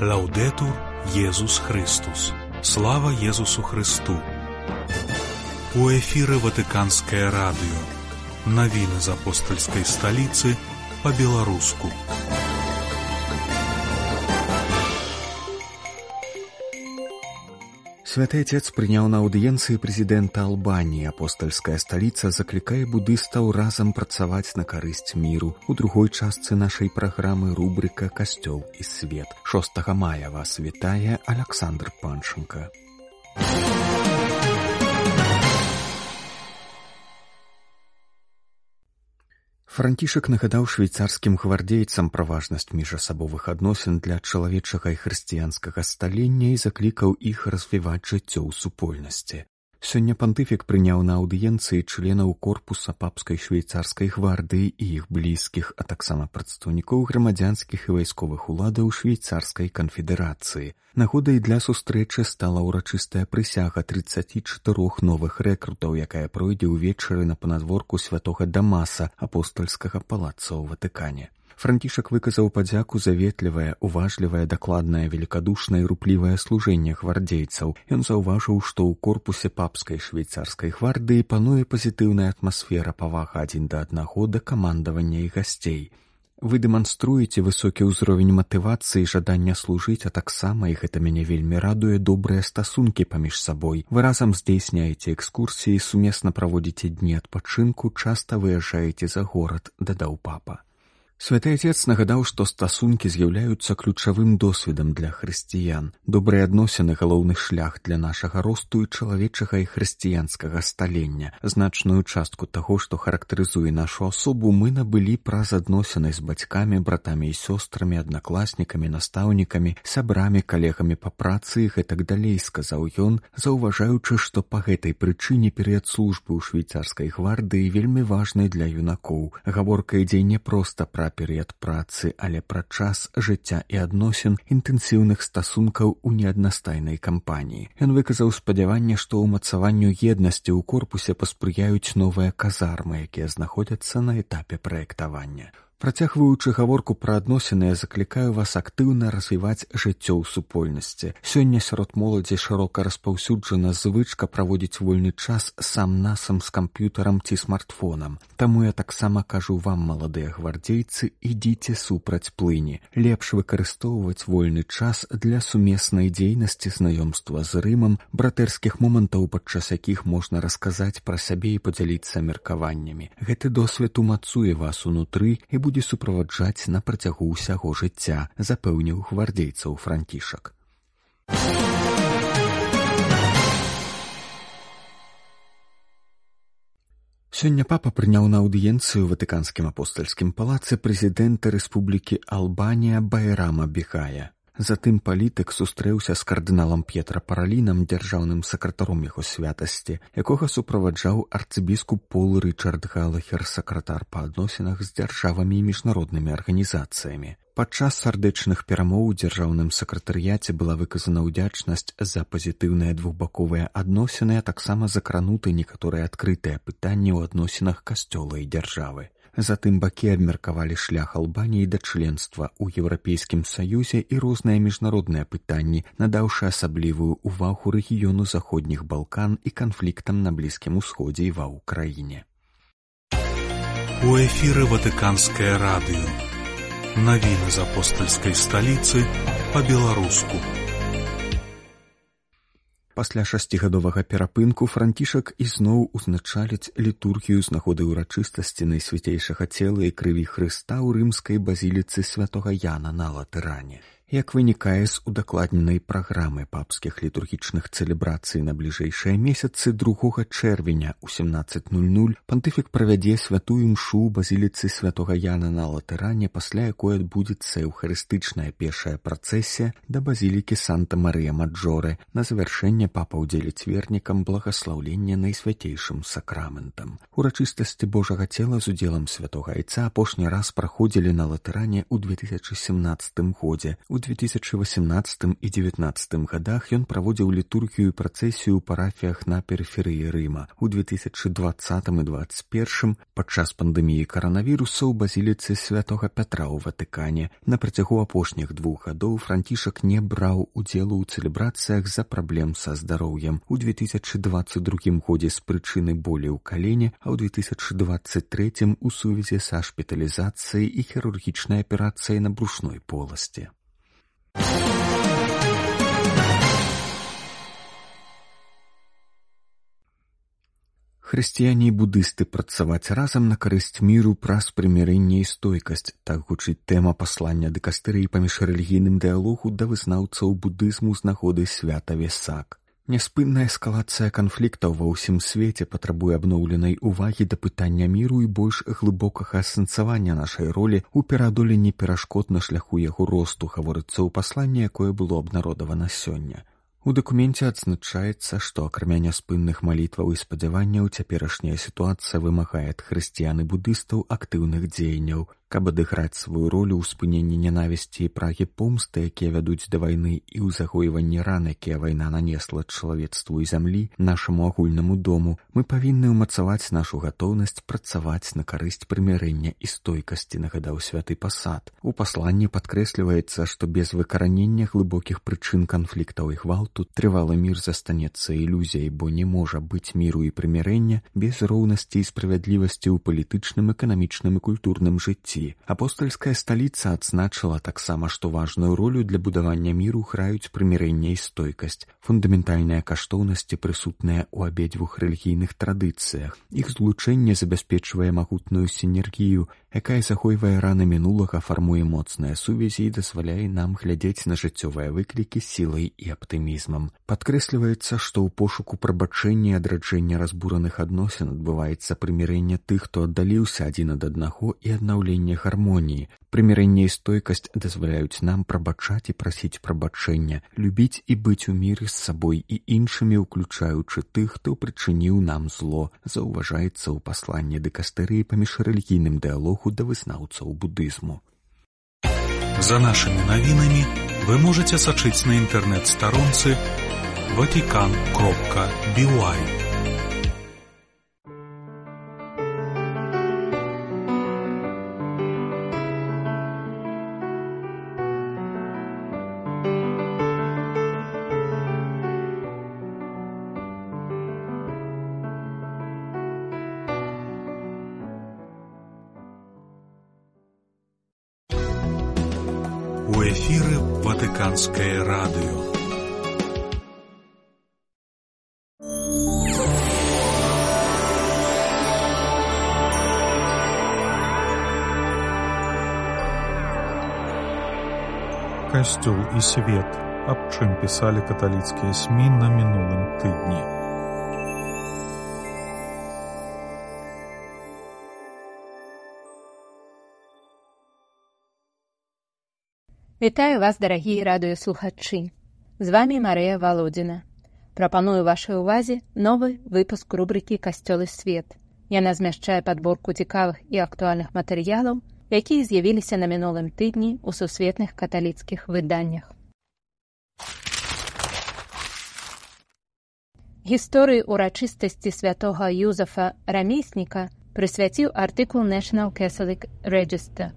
Лаўдэтур Езус Христус. Слава Езусу Христу. У эфіры Ватыканскае радыё. Навіны з апостальскай сталіцы па-беларуску. Святы Отец прыняў на аўдыенцыі прэзідэнта Албаніі. Апостальская сталіца заклікае будыстаў разам працаваць на карысць міру. У другой частцы нашай праграмы рубрыка «Касцёл і свет». 6 мая вас вітае Александр Панченко. Францішак нагадаў швейцарскім гвардейцам пра важнасць міжасабовых адносін для чалавечага і хрысціянскага сталення і заклікаў іх развіваць жыццё ў супольнасці. Сёння пантыфік прыняў на аўдыенцыі членаў корпуса папскай швейцарскай гвардыі і іх блізкіх, а таксама прадстаўнікоў грамадзянскіх і вайсковых уладаў швейцарскай канфедэрацыі. Нагодай для сустрэчы стала ўрачыстая прысяга 34 новых рэкрутаў, якая пройдзе ўвечары на панадворку святога Дамаса, апостальскага палаца ў Ватыкане. Францішак выказаў падзяку за ветлівае, уважлівае, дакладнае, великадушнае і руплівае служэнне гвардейцаў. Ён заўважыў, што ў корпусе папскай швейцарскай гвардыі пануе пазітыўная атмасфера павага адзін да аднаго да камандавання і гасцей. Вы дэманструеце высокі ўзровень матывацыі і жадання служыць, а таксама, і гэта мяне вельмі радуе, добрыя стасункі паміж сабой. Вы разам здзейсняеце экскурсіі, сумесна праводзіце дні адпачынку, часта выязджаеце за горад, дадаў папа. Святы Отец нагадаў, што стасункі з'яўляюцца ключавым досведам для хрысціян. Добрыя адносіны — галоўны шлях для нашага росту і чалавечага і хрысціянскага сталення. Значную частку таго, што характарызуе нашу асобу, мы набылі праз адносіны з бацькамі, братамі і сёстрамі, аднакласнікамі, настаўнікамі, сябрамі, калегамі па працы і гэтак далей, сказаў ён, заўважаючы, што па гэтай прычыне перыяд службы ў швейцарскай гвардыі вельмі важны для юнакоў. Гаворка ідзе не проста пра перыяд працы, але пра час жыцця і адносін, інтэнсіўных стасункаў у неаднастайнай кампаніі. Ён выказаў спадзяванне, што ўмацаванню еднасці ў корпусе паспрыяюць новыя казармы, якія знаходзяцца на этапе праектавання. Працягваючы гаворку пра адносіны, я заклікаю вас актыўна развіваць жыццё ў супольнасці. Сёння сярод моладзі шырока распаўсюджана звычка праводзіць вольны час сам-насам з камп'ютарам ці смартфонам. Таму я таксама кажу вам, маладыя гвардзейцы, ідзіце супраць плыні. Лепш выкарыстоўваць вольны час для сумеснай дзейнасці, знаёмства з Рымам, братэрскіх момантаў, падчас якіх можна расказаць пра сябе і падзяліцца меркаваннямі. Гэты досвед умацуе вас унутры і будзе суправаджаць на працягу ўсяго жыцця, запэўніў гвардейцаў Францішак. Сёння папа прыняў на аўдыенцыю ў Ватыканскім апостальскім палацы прэзідэнта Рэспублікі Албанія Байрама Бегая. Затым палітык сустрэўся з кардыналам П'етра Паралінам, дзяржаўным сакратаром яго святасці, якога суправаджаў арцыбіскуп Пол Рычард Галахер, сакратар па адносінах з дзяржавамі і міжнароднымі арганізацыямі. Падчас сардэчных перамоў у дзяржаўным сакратарыяце была выказана ўдзячнасць за пазітыўныя двухбаковыя адносіны, а таксама закрануты некаторыя адкрытыя пытанні ў адносінах касцёла і дзяржавы. Затым бакі абмеркавалі шлях Албаніі да членства ў Еўрапейскім Саюзе і розныя міжнародныя пытанні, надаўшы асаблівую ўвагу рэгіёну Заходніх Балкан і канфліктам на Блізкім Усходзе і ва ўкраіне. У эфіры Ватыканскае радыё. Навіны з апостальскай сталіцы па-беларуску. Пасля 6гадовага перапынку Францішак ізноў узначаліць літургію з нагоды ўрачыстасці Найсвяцейшага цела і крыві Хрыста ў рымскай базіліцы святога Яна на Латэране. Як вынікае з удакладненай праграмы папскіх літургічных цэлебрацый на бліжэйшыя месяцы, 2 чэрвеня ў 17:00 пантыфік правядзе святую імшу ў базіліцы святога Яна на Латэране, пасля якой адбудзецца эўхарыстычная пешая працэсія да базілікі Санта-Марыя-Маджоре. На завяршэнне папа ўдзеліць вернікам благаслаўлення Найсвяцейшым сакраментам. Урачыстасці Божага цела з удзелам святога Айца апошні раз праходзілі на Латэране ў 2017 годзе. У 2018 і 2019 гадах ён праводзіў літургію і працэсію ў парафіях на перыферыі Рыма. У 2020 і 2021 падчас пандэміі каранавірусу ў базіліцы святога Пятра ў Ватыкане. На працягу апошніх 2 гадоў Францішак не браў удзелу ў цэлебрацыях з-за праблем са здароўем. У 2022 годзе з прычыны болі ў калене, а ў 2023 у сувязі са шпіталізацыяй і хірургічнай аперацыяй на брушной поласці. Хрысціяне і будысты працаваць разам на карысць міру праз прымірэнне і стойкасць. Так гучыць тэма паслання дыкастэрыі па міжрэлігійным дыялогу да вызнаўцаў будызму з нагоды свята Весак. Няспынная эскалацыя канфліктаў ва ўсім свеце патрабуе абноўленай увагі да пытання міру і больш глыбокага асэнсавання нашай ролі ў пераадоленні перашкод на шляху яго росту, гаворыцца ў пасланні, якое было абнародавана сёння. У дакуменце адзначаецца, што акрамя няспынных малітваў і спадзяванняў цяперашняя сітуацыя вымагае ад хрысціян і будыстаў актыўных дзеянняў, каб адыграць сваю ролю ў спыненні нянавісці і прагі помсты, якія вядуць да вайны, і ў загойванні ран, якія вайна нанесла чалавецтву і зямлі, нашаму агульнаму дому. Мы павінны ўмацаваць нашу гатоўнасць працаваць на карысць прымірэння і стойкасці, нагадаў святы Пасад. У пасланні падкрэсліваецца, што без выкаранення глыбокіх прычын канфліктаў і гвалту трывалы мір застанецца ілюзіяй, бо не можа быць міру і прымірэння без роўнасці і справядлівасці ў палітычным, эканамічным і культурным жыцці. Апостальская сталіца адзначыла таксама, што важную ролю для будавання міру граюць прымірэнне і стойкасць, фундаментальныя каштоўнасці, прысутныя ў абедзвюх рэлігійных традыцыях. Іх злучэнне забяспечвае магутную сінергію, якая захойвае раны мінулага, фармуе моцныя сувязі і дазваляе нам глядзець на жыццёвыя выклікі сілай і аптымізмам. Падкрэсліваецца, што ў пошуку прабачэння і адраджэння разбураных адносін адбываецца прымірэнне тых, хто аддаліўся адзін ад аднаго, і аднаўленне гармоніі. Прымірэнне і стойкасць дазваляюць нам прабачаць і прасіць прабачэння, любіць і быць у міры з сабой і іншымі, уключаючы тых, хто прычыніў нам зло, заўважаецца ў пасланні дыкастэрыі па міжрэлігійным дыялогу да вызнаўцаў будызму. За нашымі навінамі вы можаце сачыць на інтэрнэт-старонцы vatican.by. У эфіры Ватыканскае радыё. Касцёл і свет. Аб чым пісалі каталіцкія СМІ на мінулым тыдні. Вітаю вас, дарагія радыёслухачы. З вамі Марыя Валодзіна. Прапаную вашай увазе новы выпуск рубрыкі «Касцёл і свет». Яна змяшчае падборку цікавых і актуальных матэрыялаў, якія з'явіліся на мінулым тыдні ў сусветных каталіцкіх выданнях. Гісторыі урачыстасці святога Юзафа Рамесніка прысвяціў артыкул National Catholic Register.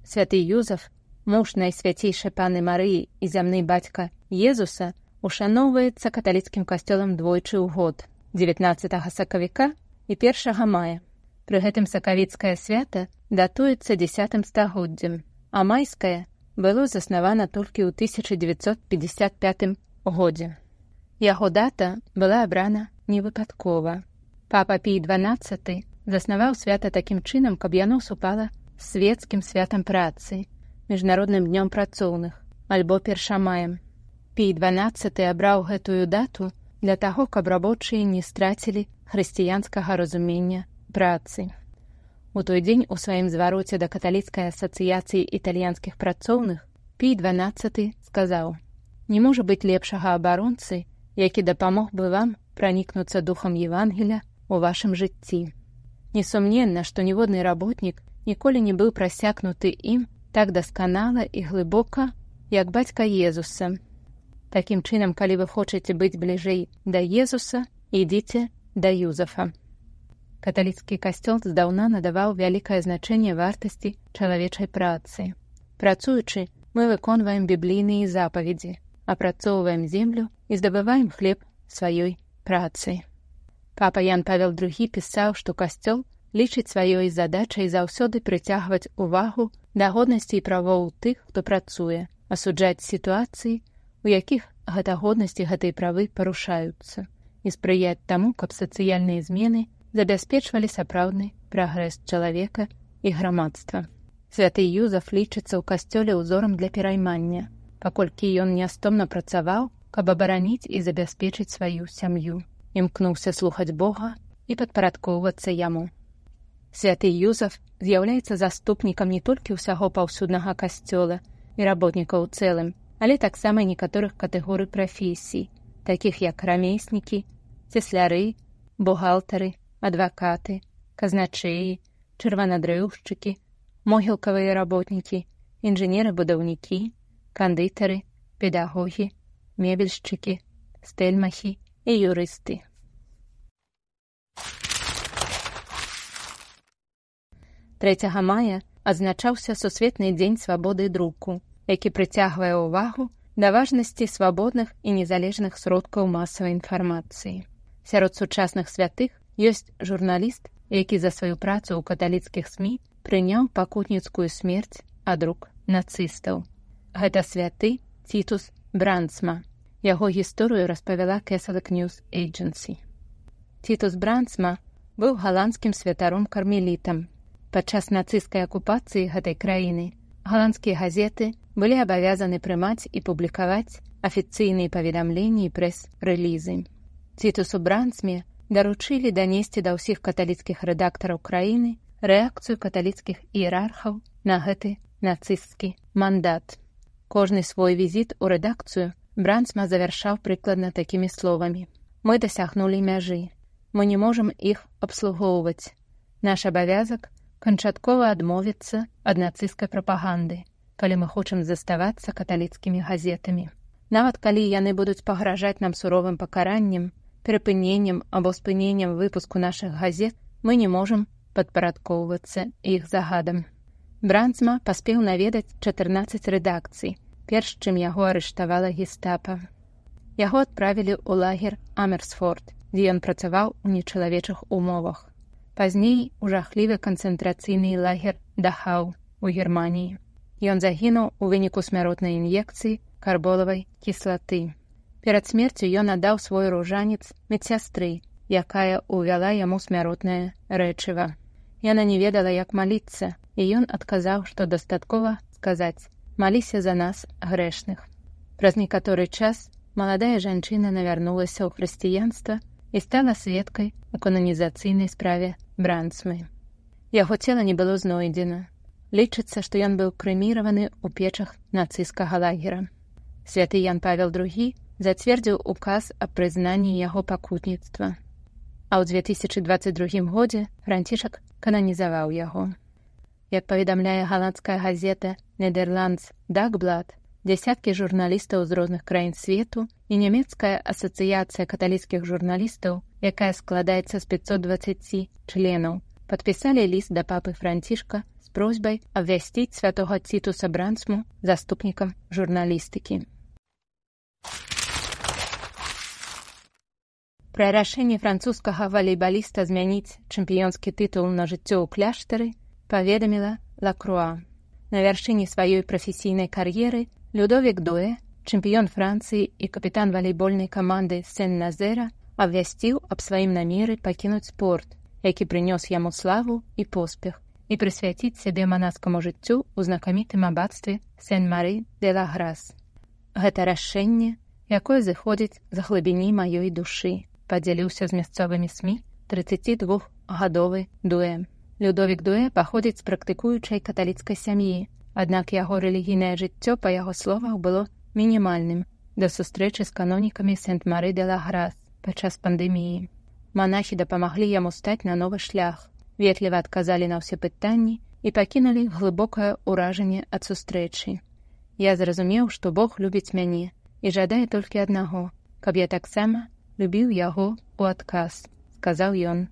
Святы Юзаф, муж найсвяцейшай паны Марыі і зямны бацька Езуса, ушаноўваецца каталіцкім касцёлам двойчы ў год, 19 сакавіка і 1 мая. Пры гэтым сакавіцкае свята датуецца 10 стагоддзем, а майскае было заснавана толькі ў 1955 годзе. Яго дата была абрана невыпадкова. Папа Пій XII заснаваў свята такім чынам, каб яно супала з свецкім святам працы, міжнародным днём працоўных, альбо 1 маем. Пій XII абраў гэтую дату для таго, каб рабочыя не страцілі хрысціянскага разумення працы. У той дзень у сваім звароце да каталіцкай асацыяцыі італьянскіх працоўных Пій XII сказаў: «Не можа быць лепшага абаронцы, які дапамог бы вам пранікнуцца духам Евангеля ў вашым жыцці. Несумненна, што ніводны работнік ніколі не быў прасякнуты ім так дасканала і глыбока, як бацька Езуса. Такім чынам, калі вы хочаце быць бліжэй да Езуса, ідзіце да Юзафа. Каталіцкі касцёл здаўна надаваў вялікае значэнне вартасці чалавечай працы. Працуючы, мы выконваем біблійныя запаведзі, апрацоўваем землю і здабываем хлеб сваёй працай. Папа Ян Павел II пісаў, што касцёл лічыць сваёй задачай заўсёды прыцягваць увагу да годнасці і правоў тых, хто працуе, асуджаць сітуацыі, у якіх гэта годнасць і гэтыя правы парушаюцца, і спрыяць таму, каб сацыяльныя змены забяспечвалі сапраўдны прагрэс чалавека і грамадства. Святы Юзаф лічыцца ў касцёле ўзорам для пераймання, паколькі ён нястомна працаваў, каб абараніць і забяспечыць сваю сям'ю, імкнуўся слухаць Бога і падпарадкоўвацца яму. Святы Юзаф з'яўляецца заступнікам не толькі ўсяго паўсюднага касцёла і работнікаў у цэлым, але таксама некаторых катэгорый прафесій, такіх як рамеснікі, цесляры, бухгалтары, адвакаты, казначэі, чырванадрэўшчыкі, могілкавыя работнікі, інжынеры-будаўнікі, кандытары, педагогі, мебельшчыкі, стэльмахі і юрысты. Трэцяга мая адзначаўся Сусветны дзень свабоды друку, які прыцягвае ўвагу да важнасці свабодных і незалежных сродкаў масавай інфармацыі. Сярод сучасных святых ёсць журналіст, які за сваю працу ў каталіцкіх СМІ прыняў пакутніцкую смерць ад рук нацыстаў. Гэта святы Тітус Брандсма. Яго гісторыю распавяла Catholic News Agency. Тітус Брандсма быў галандскім святаром-кармелітам. Падчас нацысцкай акупацыі гэтай краіны галандскія газеты былі абавязаны прымаць і публікаваць афіцыйныя паведамленні і прэс-рэлізы. Тітусу Брандсме даручылі данесці да ўсіх каталіцкіх рэдактараў краіны рэакцыю каталіцкіх іерархаў на гэты нацысцкі мандат. Кожны свой візіт у рэдакцыю Брандсма завяршаў прыкладна такімі словамі: «Мы дасягнулі мяжы. Мы не можам іх абслугоўваць. Наш абавязак канчаткова адмовіцца ад нацысцкай прапаганды, калі мы хочам заставацца каталіцкімі газетамі. Нават калі яны будуць пагражаць нам суровым пакараннем, перапыненнем або спыненнем выпуску нашых газет, мы не можам падпарадкоўвацца іх загадам». Брандсма паспеў наведаць 14 рэдакцый, перш чым яго арыштавала гестапа. Яго адправілі ў лагер Амерсфорд, дзе ён працаваў у нечалавечых умовах. Пазней у жахлівы канцэнтрацыйны лагер Дахау у Германіі. Ён загінуў у выніку смяротнай ін'екцыі карболавай кіслаты. Перад смерцю ён аддаў свой ружанец медсястры, якая ўвяла яму смяротнае рэчыва. Яна не ведала, як маліцца, і ён адказаў, што дастаткова сказаць: «Маліся за нас, грэшных». Праз некаторы час маладая жанчына навярнулася ў хрысціянства і стала сведкай у кананізацыйнай справе Брандсмы. Яго цела не было знойдзена. Лічыцца, што ён быў крэміраваны ў печах нацысцкага лагера. Святы Ян Павел II зацвердзіў указ аб прызнанні яго пакутніцтва. А ў 2022 годзе Францішак кананізаваў яго. Як паведамляе галандская газета «Нідерландс Дагблад», дзясяткі журналістаў з розных краін свету і нямецкая асацыяцыя каталіцкіх журналістаў, якая складаецца з 520 членаў, падпісалі ліст да папы Францішка з просьбай абвясціць святога Тітуса Брандсму заступнікам журналістыкі. Пра рашэнне французскага валейбаліста змяніць чэмпіёнскі тытул на жыццё ў кляштары паведаміла Ла Круа. На вяршыні сваёй прафесійнай кар'еры Людовік Дуэ, чэмпіён Францыі і капітан валейбольнай каманды Сен-Назера, абвясціў аб сваім намеры пакінуць спорт, які прынёс яму славу і поспех, і прысвяціць сябе манаскаму жыццю ў знакамітым абацтве Сен-Мары-де-ла-Грас. Гэта рашэнне, якое зыходзіць з глыбіні маёй душы, падзяліўся з мясцовымі СМІ 32-гадовы Дуэ. Людовік Дуэ паходзіць з практыкуючай каталіцкай сям'і, аднак яго рэлігійнае жыццё, па яго словах, было мінімальным да сустрэчы з канонікамі Сент-Мары-де-ла-Грас падчас пандэміі. Манахі дапамаглі яму стаць на новы шлях, ветліва адказалі на ўсе пытанні і пакінулі глыбокае ўражанне ад сустрэчы. Я зразумеў, што Бог любіць мяне і жадае толькі аднаго, каб я таксама любіў яго ў адказ, сказаў ён.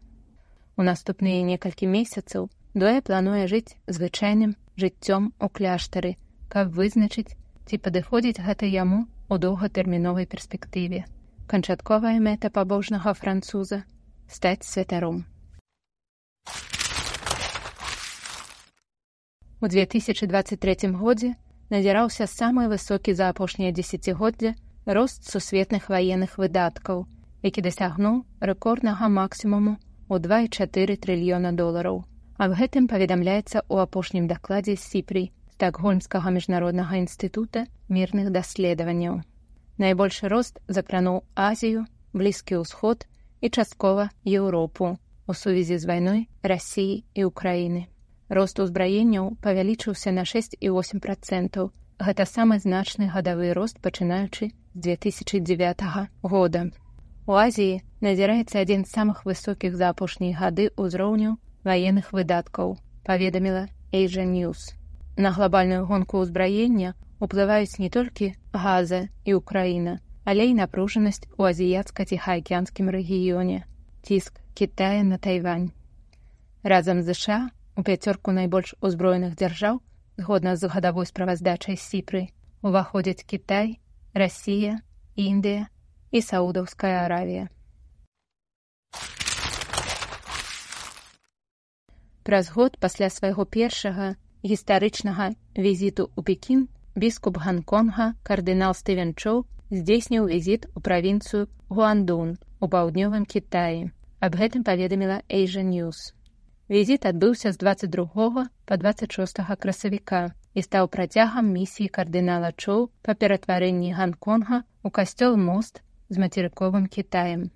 У наступныя некалькі месяцаў Дуэ плануе жыць звычайным жыццём у кляштары, каб вызначыць, ці падыходзіць гэта яму ў доўгатэрміновай перспектыве. Канчатковая мэта пабожнага француза – стаць святаром. У 2023 годзе назіраўся самы высокі за апошнія дзесяцігоддзя рост сусветных ваенных выдаткаў, які дасягнуў рэкорднага максімуму ў 2,4 трыльёна долараў. Аб гэтым паведамляецца ў апошнім дакладзе СІПРІ, Стакгольмскага міжнароднага інстытута мірных даследаванняў. Найбольшы рост закрануў Азію, Блізкі ўсход і часткова Еўропу у сувязі з вайной Расіі і Ўкраіны. Рост узбраенняў павялічыўся на 6,8%. Гэта самы значны гадавы рост, пачынаючы з 2009 года. У Азіі назіраецца адзін з самых высокіх за апошнія гады ўзроўняў ваенных выдаткаў, паведаміла Asia News. На глобальную гонку ўзбраення уплываюць не толькі Газа і Ўкраіна, але і напружанасць у азіяцка-ціхаакіянскім рэгіёне, ціск Кітая на Тайвань. Разам з США у пяцёрку найбольш узброеных дзяржаў, згодна з гадавой справаздачай СІПРЫ, уваходзяць Кітай, Расія, Індыя і Саудаўская Аравія. Праз год пасля свайго першага гістарычнага візіту ў Пекін біскуп Ганконга кардынал Стывен Чоу здзейсніў візіт у правінцыю Гуандун у паўднёвым Кітаі. Аб гэтым паведаміла Asia News. Візіт адбыўся з 22 па 26 красавіка і стаў працягам місіі кардынала Чоу па ператварэнні Ганконга ў касцёл-мост з мацерыковым Кітаем.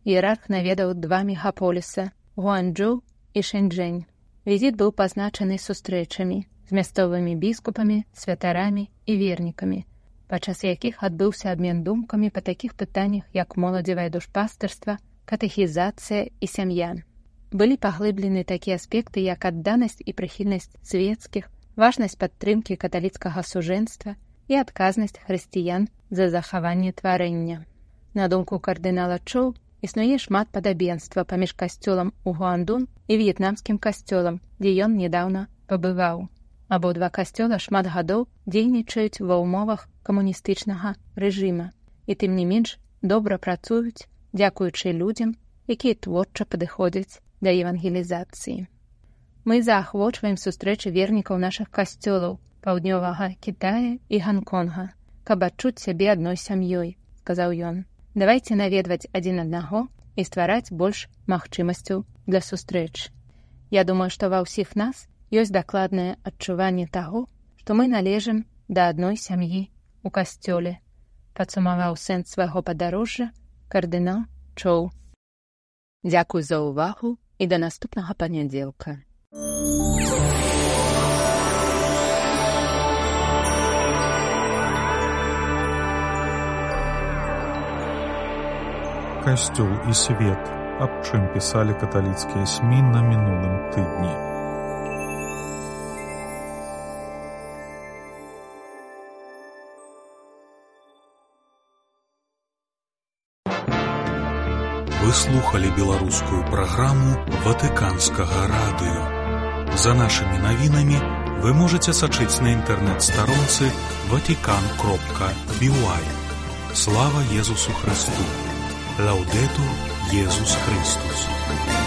Іерарх наведаў 2 мегаполіса – Гуанчжоу і Шэньчжэнь. Візіт быў пазначаны сустрэчамі з мясцовымі біскупамі, святарамі і вернікамі, падчас якіх адбыўся абмен думкамі па такіх пытаннях, як моладзевае душпастырства, катэхізацыя і сям'я. Былі паглыблены такія аспекты, як адданасць і прыхільнасць свецкіх, важнасць падтрымкі каталіцкага сужэнства і адказнасць хрысціян за захаванне тварэння. На думку кардынала Чоу, існуе шмат падабенства паміж касцёлам у Гуандун і в'етнамскім касцёлам, дзе ён нядаўна пабываў. Абодва касцёла шмат гадоў дзейнічаюць ва ўмовах камуністычнага рэжыма і тым не менш добра працуюць, дзякуючы людзям, якія творча падыходзяць да евангелізацыі. Мы заахвочваем сустрэчы вернікаў нашых касцёлаў паўднёвага Кітая і Ганконга, каб адчуць сябе адной сям'ёй, сказаў ён. Давайце наведваць адзін аднаго і ствараць больш магчымасцяў для сустрэч. Я думаю, што ва ўсіх нас ёсць дакладнае адчуванне таго, што мы належым да адной сям'і ў касцёле, падсумаваў сэнс свайго падарожжа кардынал Чоу. Дзякуй за ўвагу і да наступнага панядзелка. Касцёл і свет. Аб чым пісалі каталіцкія СМІ на мінулым тыдні. Вы слухали беларускую праграму Ватыканскага радыё. За нашымі навінамі вы можаце сачыць на інтэрнэт-старонцы vatican.by. Слава Езусу Христу! Лаудетур Езус Христос!